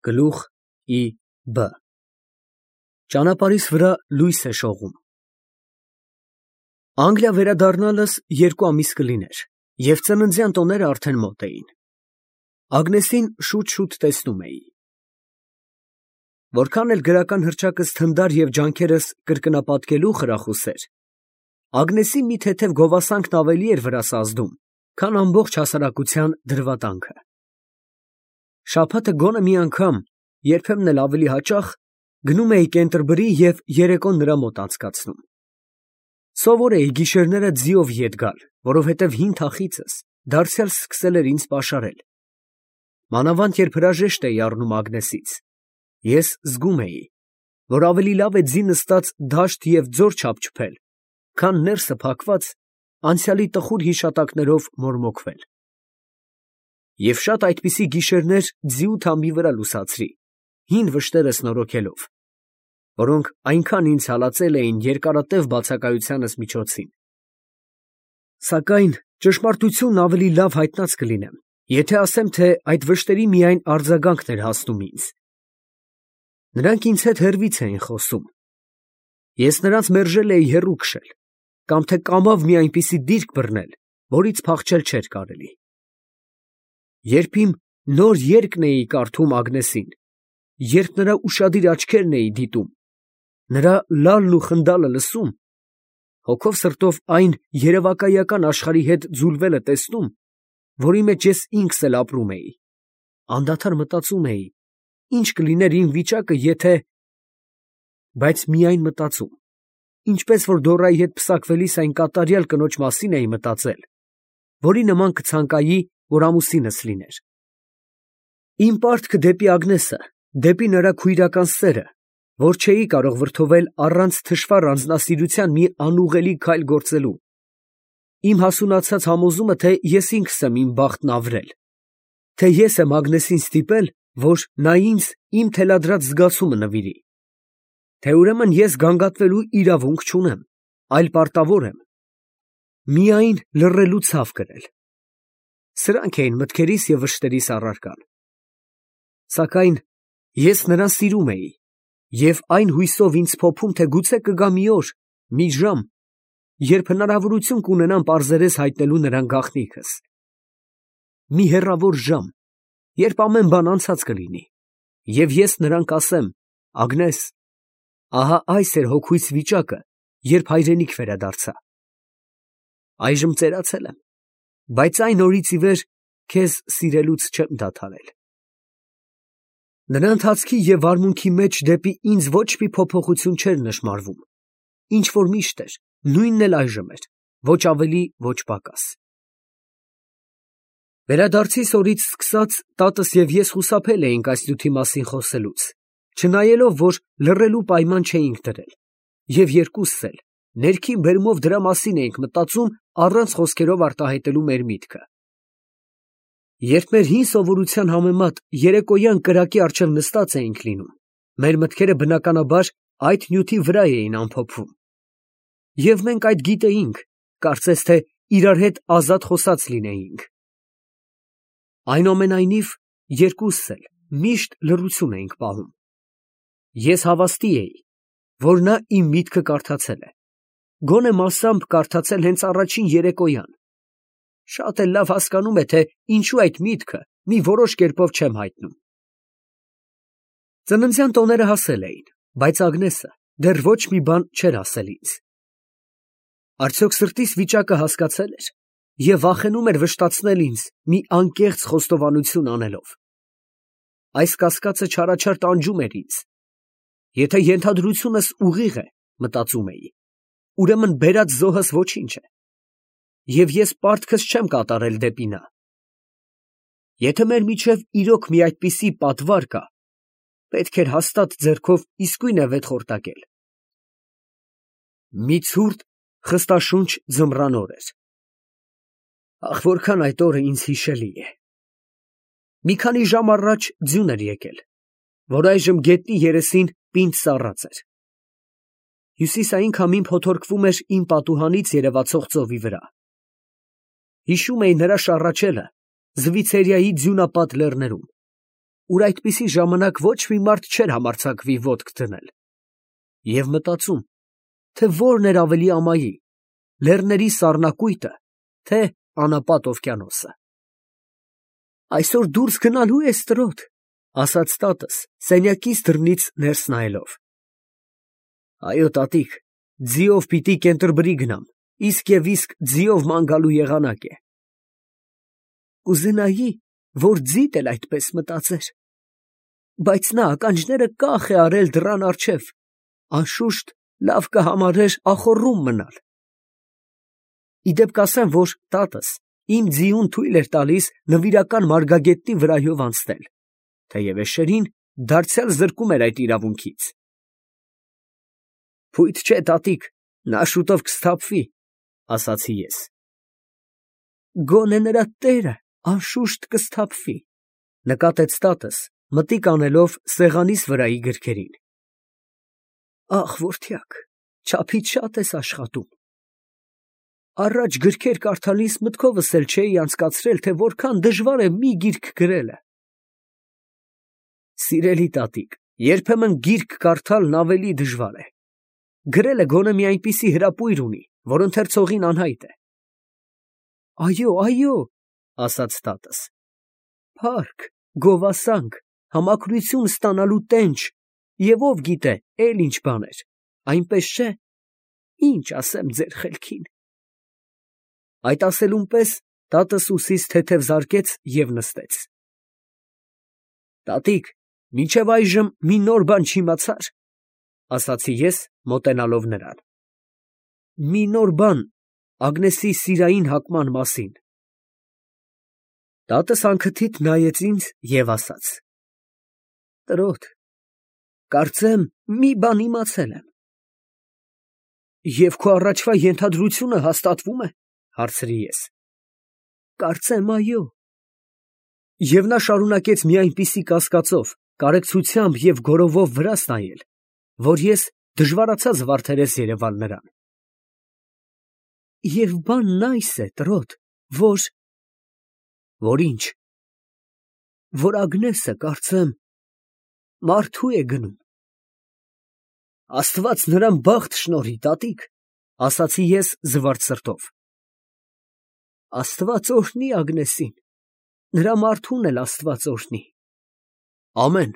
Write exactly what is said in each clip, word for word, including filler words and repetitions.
Գլուխ ի բ Ճանապարհիս վրա լույս է շողում։ Անգլիա վերադառնալս երկու ամիս կլիներ, և ծննդյան տոները արդեն մոտ էին։ Ագնեսին շուտ֊շուտ տեսնում էի։ Որքան էլ գրական հռչակս թնդար և ջանքերս կրկնապատկելու խրախուս էր, Ագնեսի մի թեթև գովասանքն ավելի էր վրաս ազդում, քան ամբողջ հասարակության դրվատանքը։ Շաբաթը գոնե մի անգամ, երբեմն էլ ավելի հաճախ, գնում էի Կենտերբրի և երեկոն նրա մոտ անցկացնում։ Սովոր էի գիշերները ձիով ետ գալ, որովհետև հին թախիծս դարձյալ սկսել էր ինձ պաշարել։ Մանավանդ երբ հրաժեշտ էի առնում Ագնեսից, ես զգում էի, որ ավելի լավ է ձի նստած դաշտ և ձոր չափչփել, քան ներսը փակված անցյալի տխուր հիշատակներով մորմոքվել։ Եվ շատ այդպիսի գիշերներ ձիու թամբի վրա լուսացրի, հին վշտերս նորոգելով, որոնք այնքան ինձ հալածել էին երկարատև բացակայությանս միջոցին։ Սակայն ճշմարտությունն ավելի լավ հայտնած կլինեմ, եթե ասեմ, թե այդ վշտերի միայն արձագանքն էր հասնում ինձ։ Նրանք ինձ հետ հեռվից էին խոսում։ Ես նրանց մերժել էի հեռու քշել, կամ թե կամավ մի այնպիսի դիրք բռնել, որից փախչել չէր կարելի։ Երբ իմ նոր երգն էի կարդում Ագնեսին, երբ նրա ուշադիր աչքերն էի դիտում, նրա լալն ու խնդալը լսում, հոգով սրտով այն երևակայական աշխարհի հետ ձուլվելը տեսնում, որի մեջ ես ինքս էլ ապրում էի, անդադար մտածում էի, ինչ կլիներ իմ վիճակը, եթե… Բայց միայն մտածում, ինչպես որ Դորայի հետ պսակվելիս այն կատարյալ կնոջ մասին էի մտածել, որի նման կցանկայի, որ ամուսինս լիներ։ Իմ պարտքը դեպի Ագնեսը, դեպի նրա քույրական սերը, որ չէի կարող վրդովել առանց թշվառ անձնասիրության մի անուղղելի քայլ գործելու, իմ հասունացած համոզումը, թե ես ինքս եմ իմ բախտն ավրել, թե ես եմ Ագնեսին ստիպել, որ նա ինձ իմ թելադրած զգացումը նվիրի, թե ուրեմն ես գանգատվելու իրավունք չունեմ, այլ պարտավոր եմ միայն լռելու ցավ կրել։ Սրանք էին մտքերիս և վշտերիս առարկան։ Սակայն ես նրան սիրում էի, և այն հույսով ինձ փոփում, թե գուցե կգա մի օր, մի ժամ, երբ հնարավորություն կունենամ պարզերես հայտնելու նրան գաղտնիքս։ Մի հեռավոր ժամ, երբ ամեն բան անցած կլինի, և ես նրան կասեմ. Ագնես, ահա այս էր հոգուս վիճակը, երբ հայրենիք վերադարձա։ Այժմ ծերացել եմ, բայց այն օրից ի վեր քեզ սիրելուց չեմ դադարել։ Նրա ընթացքի և վարմունքի մեջ դեպի ինձ ոչ մի փոփոխություն չէր նշմարվում, ինչ որ միշտ էր, նույնն էլ այժմ էր, ոչ ավելի, ոչ պակաս։ Վերադարձիս օրից սկսած տատս և ես խուսափել էինք այս նյութի մասին խոսելուց, չնայելով, որ լռելու պայման չէինք դրել, և երկուսս էլ ներքին բերումով դրա մասին էինք մտածում առանց խոսքերով արտահայտելու մեր միտքը։ Երբ մեր հին սովորության համեմատ երեկոյան կրակի առջև նստած էինք լինում, մեր մտքերը բնականաբար այդ նյութի վրա էին ամփոփվում։ Եվ մենք այդ գիտեինք, կարծես թե իրար հետ ազատ խոսած լինեինք։ Այնուամենայնիվ, երկուսս էլ միշտ լռություն էինք պահում։ Ես հավաստի էի, որ նա իմ միտքը կարդացել է, գոնե մասամբ կարդացել հենց առաջին երեկոյան, շատ էլ լավ հասկանում է, թե ինչու այդ միտքը մի որոշ կերպով չեմ հայտնում։ Ծննդյան տոները հասել էին, բայց Ագնեսը դեռ ոչ մի բան չէր ասել ինձ։ Արդյոք սրտիս վիճակը հասկացել էր և վախենում էր վշտացնել ինձ մի անկեղծ խոստովանություն անելով։ Այս կասկածը չարաչար տանջում էր ինձ։ Եթե ենթադրությունս ուղիղ է, մտածում էի, ուրեմն բերած զոհս ոչինչ է, և ես պարտքս չեմ կատարել դեպի նա։ Եթե մեր միջև իրոք մի այդպիսի պատվար կա, պետք էր հաստատ ձեռքով իսկույն է վեթխորտակել։ Մի ցուրտ, խստաշունչ ձմռան օր էր։ Ախ, որքան այդ օրը ինձ հիշելի է։ Մի քանի ժամ առաջ ձյուն էր եկել, որ այժմ գետնի երեսին պինդ սառած էր։ Հյուսիսային քամին փոթորկվում էր իմ պատուհանից երևացող ծովի վրա։ Հիշում էի նրա շառաչելը Զվիցերիայի ձյունապատ լեռներում, ուր այդպիսի ժամանակ ոչ մի մարդ չէր համարձակվի ոտք դնել, և մտածում, թե որն էր ավելի ամայի, լեռների սառնակույտը, թե անապատ օվկիանոսը։ «Այսօր դուրս գնալու ես, տրոտ», ֊ ասաց տատս, սենյակից դռնից ներս նայելով։ «Այո, տատիկ, ձիով պիտի Կենտերբրի գնամ, իսկ և իսկ ձիով ման գալու եղանակ է»։ «Կուզենայի, որ ձիդ էլ այդպես մտածեր, բայց նա ականջները կախ է արել դռան առջև, անշուշտ լավ կհամարեր ախոռում մնալ»։ Ի դեպ կասեմ, որ տատս իմ ձիուն թույլ էր տալիս նվիրական մարգագետնի վրայով անցնել, թեև էշերին դարձյալ զրկում էր այդ իրավունքից։ «Փույթ չէ, տատիկ, նա շուտով կսթափվի», ֊ ասացի ես։ «Գոնե նրա տերը անշուշտ կսթափվի», ֊ նկատեց տատս, մտիկ անելով սեղանիս վրայի գրքերին։ «Ախ, որդյակ, չափից շատ ես աշխատում։ Առաջ գրքեր կարդալիս մտքովս էլ չէի անցկացրել, թե որքան դժվար է մի գիրք գրելը»։ «Սիրելի տատիկ, երբեմն գիրք կարդալն ավելի դժվար է։ Գրելը գոնե մի այնպիսի հրապույր ունի, որ ընթերցողին անհայտ է»։ «Այո, այո», ֊ ասաց տատս, «փառք, գովասանք, համակրություն ստանալու տենչ, և ով գիտե էլ ինչ բաներ, այնպես չէ՞։ Ինչ ասեմ ձեր խելքին»։ Այդ ասելուն պես տատս ուսիս թեթև զարկեց և նստեց։ «Տատիկ, մինչև այժմ մի նոր բան չիմացա՞ր», ֊ ասացի ես, մոտենալով նրան։ «Մի նոր բան Ագնեսի սիրային հակման մասին»։ Տատս անքթիթ նայեց ինձ և ասաց. «Տրոտ, կարծեմ մի բան իմացել եմ»։ «Եվ քո առաջվա ենթադրությունը հաստատվո՞ւմ է», ֊ հարցրի ես։ «Կարծեմ այո»։ Եվ նա շարունակեց մի այնպիսի կասկածով, կարեկցությամբ և գոռովով վրաս նայել, որ ես դժվարացա զվարթերես երևալ նրան։ «Եվ բանն այս է, տրոտ, որ…» «Որ ինչ»։ «Որ Ագնեսը, կարծեմ, մարդու է գնում»։ «Աստված նրան բախտ շնորհի, տատիկ», ֊ ասացի ես զվարթ սրտով։ «Աստված օրհնի Ագնեսին, նրա մարդուն էլ աստված օրհնի»։ «Ամեն»։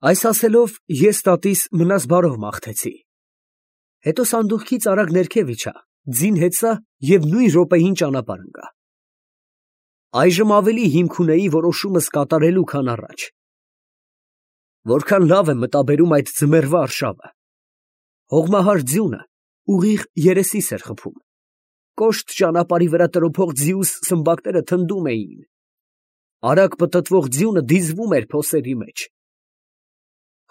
Այս ասելով ես տատիս մնաս բարով մաղթեցի։ Հետո սանդուղքից արագ ներքև իջա, ձին հեծա և նույն րոպեին ճանապարհ ընկա։ Այժմ ավելի հիմք ունեի որոշումս կատարելու, քան առաջ։ Որքան լավ եմ մտաբերում այդ ձմեռվա արշավը։ Հողմահար ձյունը ուղիղ երեսիս էր խփում։ Կոշտ ճանապարհի վրա տրոփող ձիուս սմբակները թնդում էին։ Արագ պտտվող ձյունը դիզվում էր փոսերի մեջ։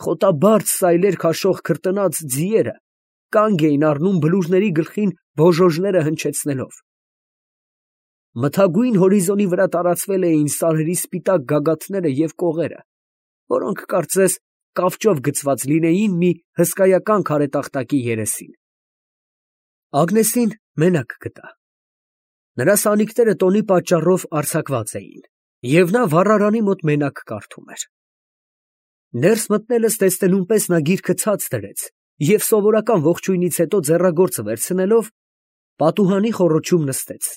Խոտաբարձ սայլեր քաշող քրտնած ձիերը կանգ էին առնում բլուրների գլխին բոժոժները հնչեցնելով։ Մթագույն հորիզոնի վրա տարածվել էին սարերի սպիտակ գագաթները և կողերը, որոնք կարծես կավճով գցված լինեին մի հսկայական քարե տախտակի երեսին։ Ագնեսին մենակ գտա։ Նրա սանիկները տոնի պատճառով արձակված էին, և նա վառարանի մոտ մենակ կարդում էր։ Ներս մտնելս տեսնելուն պես նա գիրքը ցած դրեց և սովորական ողջույնից հետո ձեռագործը վերցնելով, պատուհանի խոռոչում նստեց։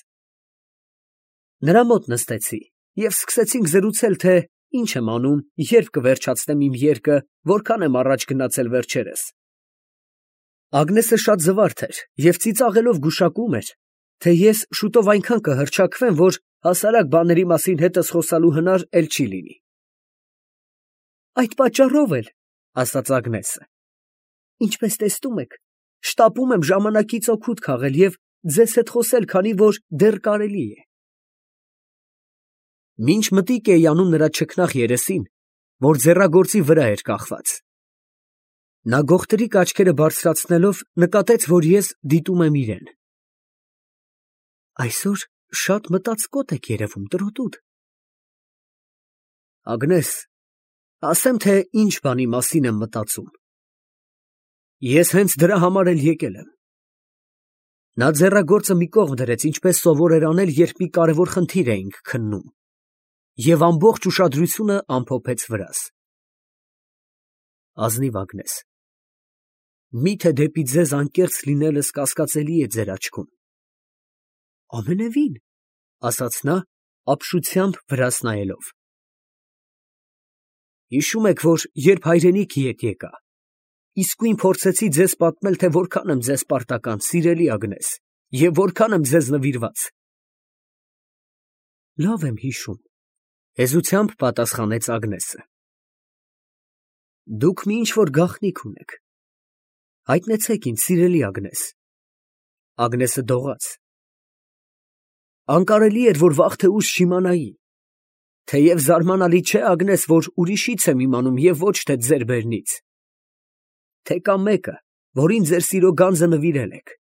Նրա մոտ նստեցի և սկսեցինք զրուցել, թե ինչ եմ անում, երբ կվերջացնեմ իմ երգը, որքան եմ առաջ գնացել վերջերս։ Ագնեսը շատ զվարթ էր և ծիծաղելով գուշակում էր, թե ես շուտով այնքան կհռչակվեմ, որ հասարակ բաների մասին հետս խոսալու հնար էլ չի լինի։ «Այդ պատճառով էլ, ֊ ասաց Ագնեսը, ֊ ինչպես տեսնում եք, շտապում եմ ժամանակից օգուտ քաղել և ձեզ հետ խոսել, քանի որ դեռ կարելի է»։ Մինչ մտիկ էի անում նրա չքնաղ երեսին, որ ձեռագործի վրա էր կախված, նա գողտրիկ աչքերը բարձրացնելով նկատեց, որ ես դիտում եմ իրան։ «Այսօր շատ մտածկոտ եք երևում, տրոտուդ»։ «Ագնես, ասեմ, թե ինչ բանի մասին եմ մտածում։ Ես հենց դրա համար էլ եկել եմ»։ Նա ձեռագործը մի կողմ դրեց, ինչպես սովոր էր անել, երբ մի կարևոր խնդիր էինք քննում, և ամբողջ ուշադրությունը ամփոփեց վրաս։ Ազնիվ Ագնես, միթե դեպի ձեզ անկեղծ լինելս կասկածելի է ձեր աչքում։ Ամենևին, ասաց նա, ապշությամբ վրաս նայելով։ Հիշում եք, որ երբ հայրենիքի հետ եկա, իսկույն փորձեցի ձեզ պատմել, թե որքան եմ ձեզ պարտական, սիրելի Ագնես, և որքան եմ ձեզ նվիրված։ Լավ եմ հիշում, հեզությամբ պատասխանեց Ագնեսը։ Դուք մի ինչ-որ գաղտնիք ունեք, հայտնեցեք ինձ, սիրելի Ագնես։ Ագնեսը դողաց։ Անկարելի էր, որ վաղ թե ուշ չիմանայի, թեև զարմանալի չէ, Ագնես, որ ուրիշից եմ իմանում և ոչ թե ձեր բերնից, թե կա մեկը, որին ձեր սիրո գանձը նվիրել եք։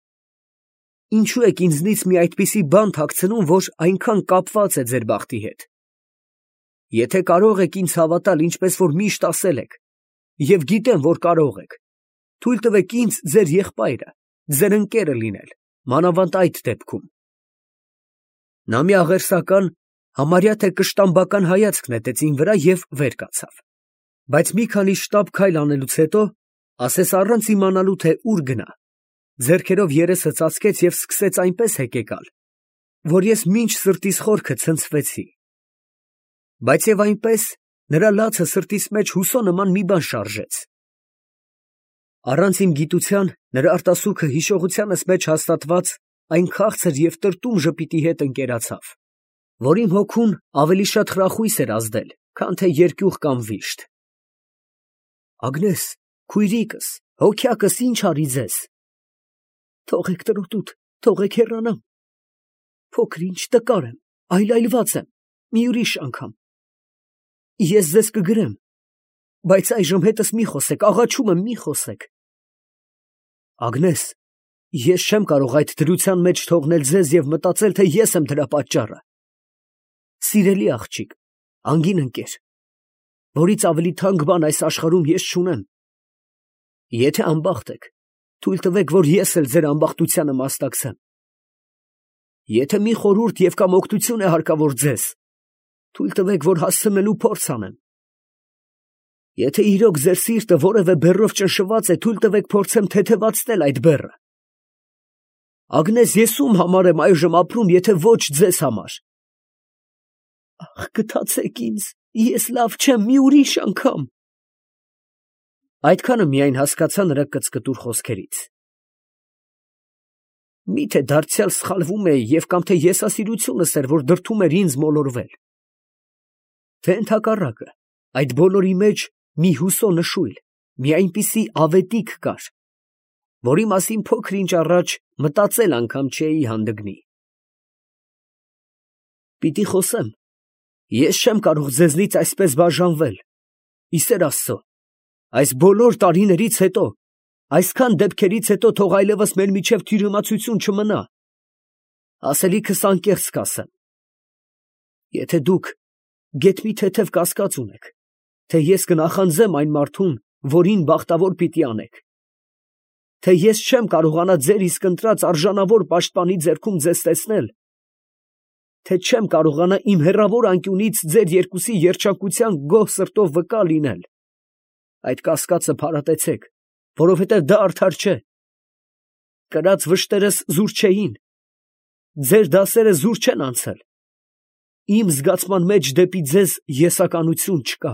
Ինչու եք ինձնից մի այդպիսի բան թաքցնում, որ այնքան կապված է ձեր բախտի հետ։ Եթե կարող եք ինձ հավատալ, ինչպես որ միշտ ասել եք, և գիտեմ, որ կարող եք, թույլ տվեք ինձ ձեր եղբայրը, ձեր ընկերը լինել, մանավանդ այդ դեպքում։ Նա մի աղերսական, համարյա թե կշտամբական հայացք նետեց իմ վրա և վեր կացավ, բայց մի քանի շտապ քայլ անելուց հետո, ասես առանց իմանալու, թե ուր գնա, ձեռքերով երեսը ծածկեց և սկսեց այնպես հեկեկալ, որ ես մինչ սրտիս խորքը ցնցվեցի։ Բայց և այնպես նրա լացը սրտիս մեջ հուսո նման մի բան շարժեց։ Առանց իմ գիտության նրա արտասուքը հիշողությանս մեջ հաստատված այն քաղցր և տրտում ժպիտի հետ ընկերացավ, որ իմ հոգուն ավելի շատ խրախույս էր ազդել, քան թե երկյուղ կամ վիշտ։ Ագնես, քույրիկս, հոգյակս, ինչ արի ձեզ։ Թողեք տրոտուտ, թողեք հեռանամ։ Փոքր ինչ տկար եմ, այլայլված եմ, մի ուրիշ անգամ։ Ես ձեզ կգրեմ, բայց այժմ հետս մի խոսեք, աղաչում եմ, մի խոսեք։ Ագնես, ես չեմ կարող այդ դրության մեջ թողնել ձեզ և մտածել, թե ես եմ դրա պատճառը։ Սիրելի աղջիկ, անգին ընկեր, որից ավելի թանկ բան այս աշխարհում ես չունեմ։ Եթե անբախտ եք, թույլ տվեք, որ ես էլ ձեր անբախտությանը մասնակցեմ։ Եթե մի խորհուրդ և կամ օգնություն է հարկավոր ձեզ, թույլ տվեք, որ հասցնելու փորձ անեմ։ Եթե իրոք ձեր սիրտը որևէ բեռով ճնշված է, թույլ տվեք փորձեմ թեթևացնել այդ բեռը։ Ագնես, ես ում համար եմ այժմ ապրում, եթե ոչ ձեզ համար։ Ախ, գթացեք ինձ, ես լավ չեմ, մի ուրիշ անգամ։ Այդքանը միայն հասկացա նրա կծկտուր խոսքերից։ Միթե դարձյալ սխալվում էի և կամ թե եսասիրությունս էր, որ դրդում էր ինձ մոլորվել։ Թե ընդհակառակը, այդ բոլորի մեջ մի հուսո նշույլ, մի այնպիսի ավետիք կար, որի մասին փոքր ինչ առաջ մտածել անգամ չէի հանդգնի։ Պիտի խոսեմ, ես չեմ կարող ձեզնից այսպես բաժանվել, ի սեր Աստծո, այս բոլոր տարիներից հետո, այսքան դեպքերից հետո թող այլևս մեր միջև թյուրիմացություն չմնա, ասելիքս անկեղծ կասեմ։ Եթե դուք գեթ մի թեթև կասկած ունեք, թե ես կնախանձեմ այն մարդուն, որին բախտավոր պիտի անեք, թե ես չեմ կարողանա ձեր իսկ ընտրած արժանավոր պաշտպանի ձեռքում ձեզ տեսնել, թե չեմ կարողանա իմ հեռավոր անկյունից ձեր երկուսի երջանկության գոհ սրտով վկա լինել, այդ կասկածը փարատեցեք, որովհետև դա արդար չէ։ Կրած վշտերս զուր չէին, ձեր դասերը զուր չեն անցել, իմ զգացման մեջ դեպի ձեզ եսականություն չկա։